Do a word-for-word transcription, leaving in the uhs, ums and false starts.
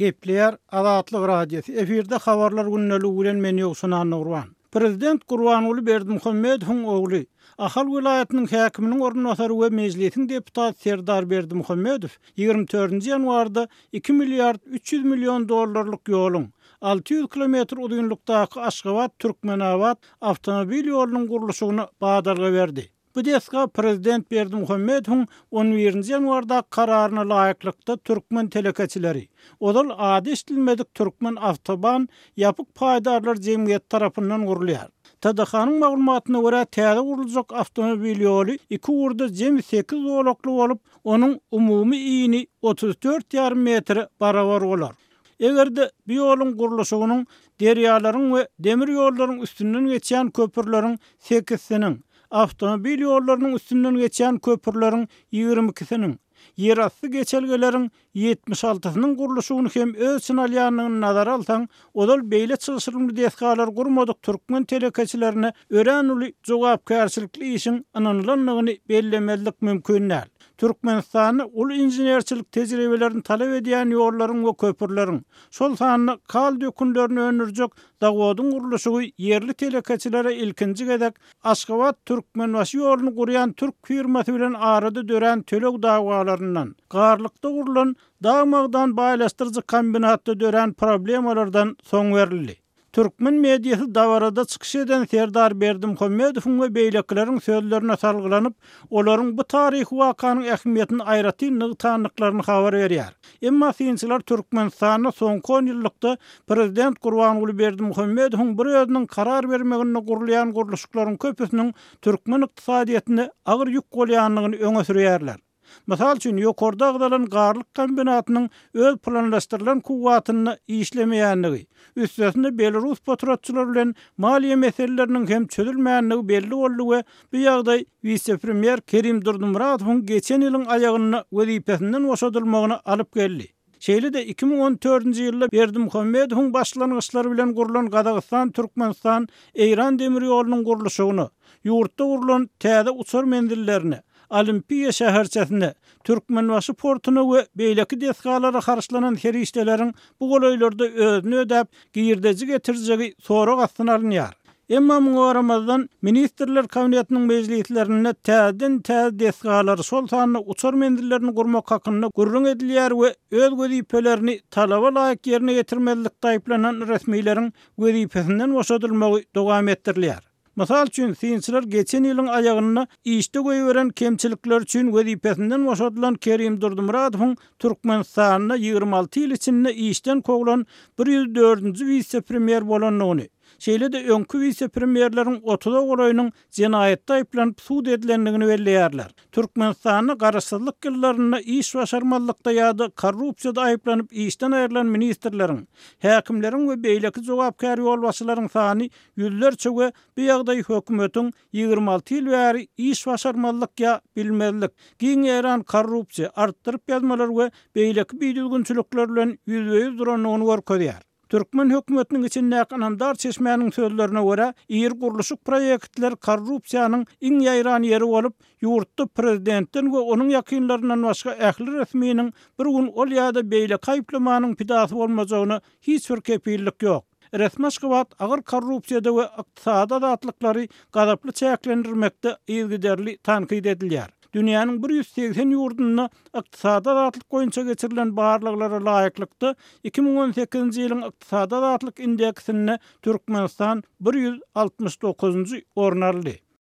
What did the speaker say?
Gepleýär Azatlyk Radiosy. Efirde habarlar gündeligi bilen men Ýowşan Annagurban. Prezident Gurbanguly Berdimuhamedowyň ogly, Ahal welaýatynyň häkiminiň orunbasary we mejlisiň deputaty Serdar Berdimuhamedow ýigrimi dördünji ýanwarda iki milliard üç ýüz million dollarlyk ýoluň alty ýüz kilometr uzynlykdaky Aşgabat-Türkmenabat awtomobil ýolunyň gurluşygyna badalga berdi. Bu desga Prezident Berdimuhamedowyň on birinji ýanwardaky kararyna laýyklykda türkmen telekeçileri, ozal ady eşidilmedik Türkmen awtoban ýapyk paýdarlar jemgyýeti tarapyndan gurulýar. T D H-nyň maglumatyna görä täze guruljak awtomobil ýoly iki ugurda jemi sekiz zolakly bolup, onuň umumy ini otuz dört ýarym metre barabar bolar. Eger-de bu ýoluň gurluşygynyň derýalaryň we demir ýollaryň üstünden geçýän köprüleriň sekizsiniň, awtomobil ýollarynyň üstünden geçýän köprüleriň ýigrimi ikisiniň, ýerasty geçelgeleriň ýetmiş altysynyň gurluşygyny hem öz içine alýandygyny nazara alsaň, ozal beýle çylşyrymly desgalar gurmadyk türkmen telekeçilerine örän uly jogapkärçilikli işiň ynanylandygyny bellemezlik mümkin däl. Türkmenistanda uly inženerçilik tejribelerini talap edýän ýollaryň we köprüleriň, şol sanda kal dökünlerini öndürjek zawodyň gurluşygy ýerli telekeçilere ilkinji gezek Aşgabat Türkmenbaşy ýoluny gurýan türk firmasy bilen arada dörän töleg dawalaryndan, garlykda gurlan dag-magdan baýlaşdyryjy kombinatda dörän problemalardan soň berildi. Türkmen mediasy dabarada çykyş eden Serdar Berdimuhamedowyň we beýlekileriň sözlerine salgylanyp, olaryň bu taryhy wakanyň ähmiýetini aýratyn nygtanlyklaryny habar berýär. Emma synçylar Türkmenistanda soňky on ýyllykda Prezident Gurbanguly Berdimuhamedowyň bir özüniň karar bermeginde gurulýan gurluşyklaryň köpüsiniň türkmen ykdysadyýetine agyr ýük bolýandygyny öňe sürýärler. Mysal üçin, ýokarda agzalan garlyk kombinatynyň öz planlaşdyrylan kuwwatynda işlemeýändigi, üstesinde Belarus potratçylary bilen maliýe meseleleriniň hem çözülmänligi belli boldy we bu ýagdaý wise-premýer Kerim Durdumuratowyň geçen ýylyň aýagynda wezipesinden boşadylmagyna alyp geldi. Şeýle-de iki müň on dördünji ýylda Berdimuhamedowyň başlangyçlary bilen gurlan Gazagystan, Türkmenistan, Eýran demir ýolunyň gurluşygyna, ýurtda gurlan täze uçar menzillerine, Olimpiýa şäherçesine, Türkmenbaşy portuna we beýleki desgalara harçlanan serişdeleriň bu golaýlarda özüni ödäp, girdeji getirjegi sorag astyna alynýar. Emma muňa garamazdan Ministrler Kabinetiniň mejlislerinde täzeden täze desgalary, şol sanda uçar menzillerini gurmak hakynda gürrüň edilýär we öz wezipelerini talaba laýyk ýerine getirmezlikde aýyplanan resmileriň wezipesinden boşadylmagy dowam etdirilýär. Mysal üçin, synçylar geçen ýylyň aýagynda işde goýberen kemçilikler üçin wezipesinden boşadylan Kerim Durdumuratowyň Türkmenistanda ýigrimi alty ýyl içinde işden kowlan bir ýüz dördünji wise-premýer bolandygyny, şeýle-de öňki wise-premýerleriň otuza golaýynyň jenaýatda aýyplanyp sud edilendigini belleýärler. Türkmenistanda garaşsyzlyk ýyllarynda iş başarmazlykda ýa-da korrupsiýada aýyplanyp işden aýrylan ministrleriň, häkimleriň we beýleki jogapkär ýolbaşçylaryň sany ýüzlerçe we bu ýagdaý hökümetiň ýigrimi alty ýyl bäri iş başarmazlyk ýa bilmezlik, giň ýaýran korrupsiýa, artdyryp ýazmalar we beýleki bidüzgünçilikler bilen ýüzbe-ýüz durandygyny görkezýär. Türkmen hökümetiniň içindäki ynamdar çeşmäniň sözlerine görä, iri gurluşyk proýektler korrupsiýanyň iň ýaýran ýeri bolup, ýurtda prezidentden we onuň ýakynlaryndan başga ähli resminiň bir gün ol ýa-da beýleki aýyplamanyň pidasy bolmajagyna hiç bir kepillik ýok. Resmi Aşgabat agyr korrupsiýada we ykdysady azatlyklary gazaply çäklendirmekde yzygiderli tankyt edilýär. Dünýäniň bir ýüz segsen ýurdunda ykdysady azatlyk boýunça geçirilen barlaglara laýyklykda iki müň on sekizinji ýylyň ykdysady azatlyk indeksinde Türkmenistan bir ýüz altmyş dokuzynjy orun aldy.